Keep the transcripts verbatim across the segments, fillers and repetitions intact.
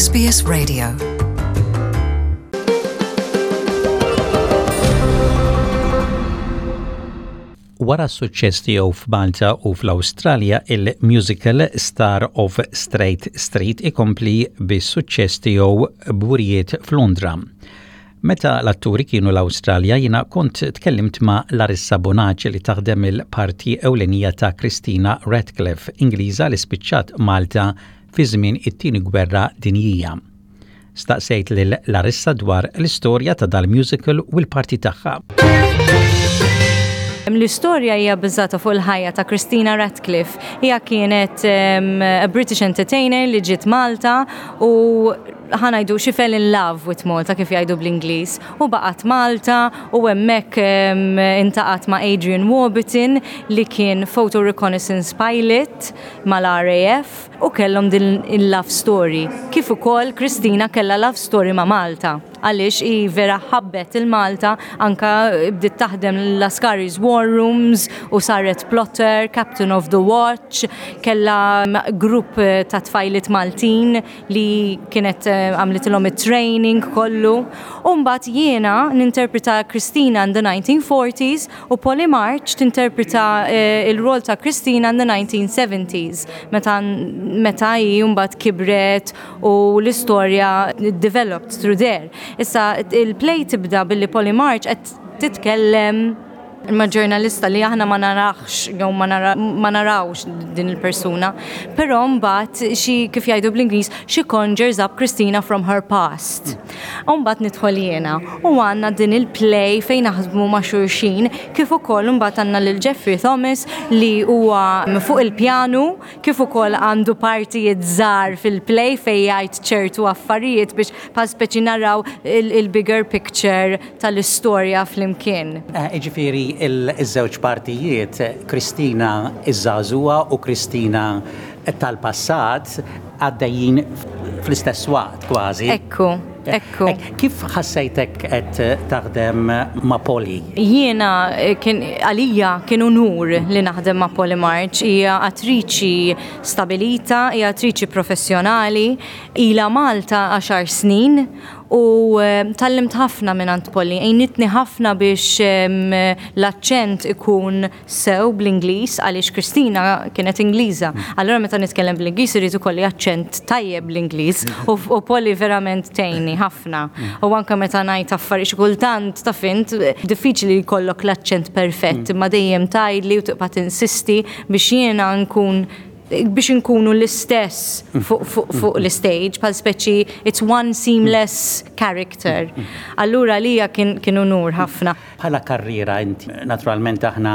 S B S Radio. Wara s-suċċess tiegħu f'Malta u fl-Awstralja, il-musical Star of Straight Street ikompli bis-suċċess tiegħu b'wirjiet f'Londra. Meta l-atturi kienu l-Awstralja, jiena kont tkellimt ma' Larissa Bonaci li taħdem il-parti ewlenija ta' Christina Radcliffe, Ingliża li spiċċat Malta fi żmien it-tieni gwerra dinjija. Staqsejt lil Larissa dwar l-istorja ta' dal-musical u l-parti tagħha. L-istorja hija bbażata fuq il-ħajja ta' Christina Radcliffe. Hija kienet um, a British entertainer li ġiet Malta u, ħa ngħidu, she fell in love with Malta, kif jgħidu bl-Ingliż. U baqgħet Malta u hemmhekk um, iltaqgħet ma' Adrian Warburton li kien photo reconnaissance pilot mal-R A F u kellhom din il-love story. Kif ukoll Christina kellha love story ma' Malta, għaliex hi vera ħabbet il-Malta, anka bdiet taħdem l-Lascaris War Rooms u saret plotter, Captain of the Watch, kella grupp ta' tfajliet Maltin li kienet eh, għamlitilhom it-training kollu. U mbagħad jiena ninterpreta Christina in the nineteen forties u Polly March tinterpreta eh, il-rol ta' Christina in the nineteen seventies meta meta hi mbagħad kibret u l-istorja developed through there. Issa il-play tibda billi Polly March qed titkellem ma' ġurnalista li aħna ma narax jew ma nara- ma narawx din il-persuna, però mbagħad xi, kif jgħidu bl-Ingliż, she conjures up Christina from her past. U mbagħad nidħol jiena u għandna din il-play fejn naħdmu ma' xulxin, kif ukoll mbagħad għandna lil Jeffrey Thomas li huwa fuq il-pjanu, kif ukoll għandu partijiet żgħar fil-play fejn jgħid ċertu affarijiet biex pa speċi naraw il-bigger picture tal-istorja flimkien. Eh, Iġifieri il-żewġ partijiet, Kristina iż-żagħżugħa u Kristina tal-passat, għaddejjin fl-istess waqt kważi. Ekku, ekku. Eh, Kif ħassejtek qed taħdem ma' Polly? Jiena eh, kien għalija kien unur li naħdem ma' Polly March. Hija attriċi stabilita, hija attriċi professjonali, ila Malta għaxar snin u eh, tgħallimt ħafna minn għand Polly. Għinitni ħafna biex em, l-aċċent ikun sew bl-Ingliż, għaliex Kristina kienet Ingliża. Allura meta nitkellem bl-Ingliż irid ikolli aċċent tajjeb bl-Ingliż u, u Polly verament tgħinni ħafna. U anke meta ngħid affarijiet xi kultant, taf int, diffiċli li jkollok l-aċċent perfett, imma dejjem tgħidli u tibqa' tinsisti biex jiena nkun biex nkunu l-istess fuq fu, fu l-stage, bħal speċi it's one seamless character. Allura lija kien, kien unur ħafna. Bħala karriera inti, naturalment aħna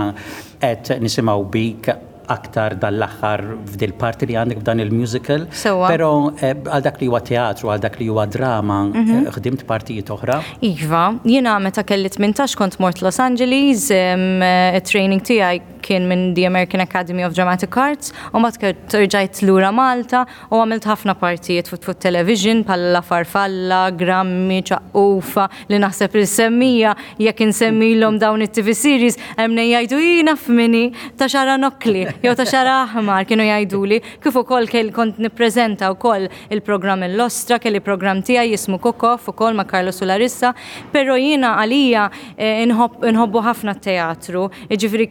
qed nisimgħu bik aktar dal-aħħar f'dil parti li għandek f'dan il-musical. Sewwa. Però eh, għal dak li huwa teatru, għal dak li huwa drama, eh, ħdimt partijiet oħra. Iva, jiena meta kelli tmintax kont mort Los Angeles, um, training tiegħi kien minn the American Academy of Dramatic Arts, u mbagħad rġajt lura Malta u għamilt ħafna partijiet fuq fuq television bħal La Farfalla, Grammi, Ċaqqufa, li naħseb il-semmija jekk insemmilhom dawn it-T V series hemm jgħidu jina f'mini ta' xara nokli jew ta' xara aħmar kienu jgħiduli, kif ukoll kell kont nippreżenta wkoll il-programm Il-Lostra, kelli programm tiegħi jismu Cook-Off ukoll ma' Carlos u Larissa, però jiena għalija eh, inħobb- inħobbu ħafna t-teatru, jiġifieri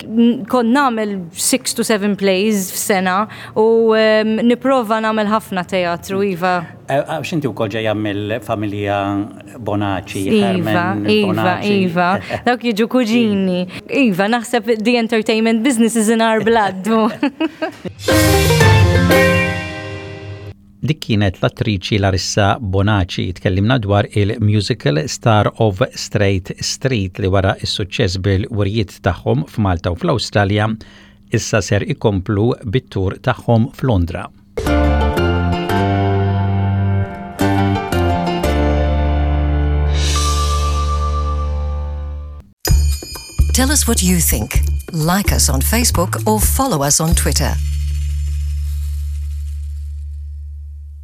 kont nagħmel six to seven plays f'sena u em, nipprova nagħmel ħafna teatru, iva. Eh, Għax inti wkoll ġejja mill-familja Bonaci, Iva, Herman Iva, Bonaci. Iva, dawk jiġu kuġini. Iva, naħseb the entertainment business is in our blood. Dik kienet l-attriċi Larissa Bonaci, tkellimna dwar il-musical Star of Straight Street li wara is-suċċess bil-wirjiet tagħhom f'Malta u fl-Awstralja issa ser ikomplu bit-tur tagħhom f'Londra. Tell us what you think. Like us on Facebook or follow us on Twitter.